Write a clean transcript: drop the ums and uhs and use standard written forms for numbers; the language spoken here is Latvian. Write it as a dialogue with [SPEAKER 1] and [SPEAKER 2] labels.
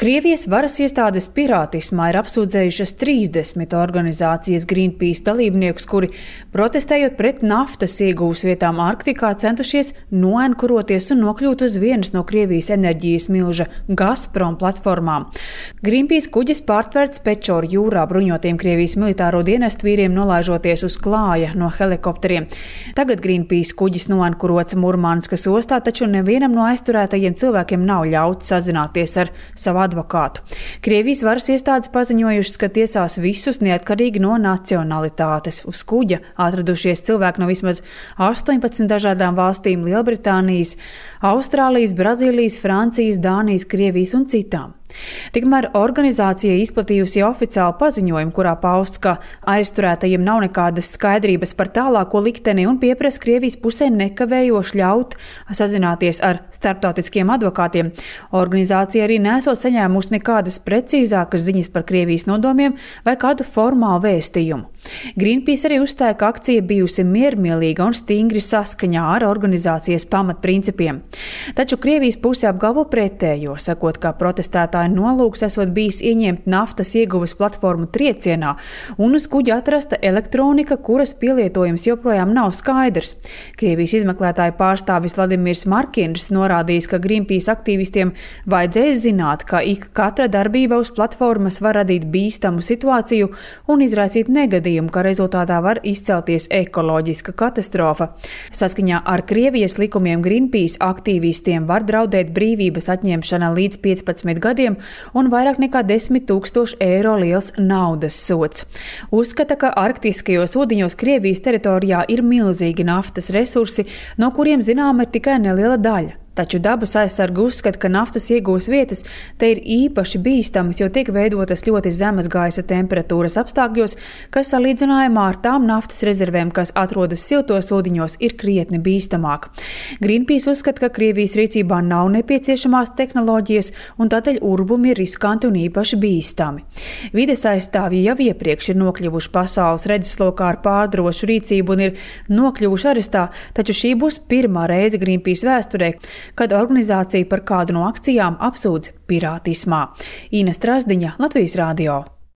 [SPEAKER 1] Krievijas varas iestādes pirātismā ir apsūdzējušas 30 organizācijas Greenpeace dalībniekus, kuri, protestējot pret naftas iegūves vietām Arktikā, centušies noenkuroties un nokļūt uz vienas no Krievijas enerģijas milža Gazprom platformām. Greenpeace kuģis pārtverts Pečoru jūrā bruņotiem Krievijas militāro dienestu vīriem nolaižoties uz klāja no helikopteriem. Tagad Greenpeace kuģis noenkurots Murmanskas ostā, taču nevienam no aizturētajiem cilvēkiem nav ļauts sazināties ar savu advokātu. Krievijas varas iestādes paziņojušas, ka tiesās visus neatkarīgi no nacionalitātes. Uz kuģa atradušies cilvēki no vismaz 18 dažādām valstīm – Lielbritānijas, Austrālijas, Brazīlijas, Francijas, Dānijas, Krievijas un citām. Tikmēr organizācija izplatījusi oficiālu paziņojumu, kurā pausts, ka aizturētajiem nav nekādas skaidrības par tālāko likteni un pieprasa Krievijas pusē nekavējoši ļaut sazināties ar starptautiskiem advokātiem. Organizācija arī nesot saņēmusi nekādas precīzākas ziņas par Krievijas nodomiem vai kādu formālu vēstījumu. Greenpeace arī uzstāja, ka akcija bijusi miermīlīga un stingri saskaņā ar organizācijas pamatprincipiem. Taču Krievijas puse apgalvo pretējo, sakot, ka protestētāji nolūks esot bijis ieņemt naftas ieguves platformu triecienā un uz kuģa atrasta elektronika, kuras pielietojums joprojām nav skaidrs. Krievijas izmeklētāju pārstāvis Vladimirs Markins norādījis, ka Greenpeace aktīvistiem vajadzēs zināt, ka katra darbība uz platformas var radīt bīstamu situāciju un izraisīt negadījumu, ka rezultātā var izcelties ekoloģiska katastrofa. Saskaņā ar Krievijas likumiem Greenpeace aktīvistiem var draudēt brīvības atņemšana līdz 15 gadiem un vairāk nekā 10 000 eiro liels naudas sods. Uzskata, ka arktiskajos ūdeņos Krievijas teritorijā ir milzīgi naftas resursi, no kuriem zināma ir tikai neliela daļa. Taču dabas aizsargi uzskata, ka naftas iegūves vietas te ir īpaši bīstamas, jo tiek veidotas ļoti zemas gaisa temperatūras apstākļos, kas salīdzinājumā ar tām naftas rezervēm, kas atrodas siltos ūdeņos, ir krietni bīstamāk. Greenpeace uzskata, ka Krievijas rīcībā nav nepieciešamās tehnoloģijas un tādēļ urbumi ir riskanti un īpaši bīstami. Vides aizstāvji jau iepriekš ir nokļuvuši pasaules redzeslokā ar pārdrošu rīcību un ir nokļuvuši arestā, taču šī būs pirmā reize Greenpeace vēsturē, kad organizācija par kādu no akcijām apsūdz pirātismā. Ina Strasdiņa, Latvijas radio.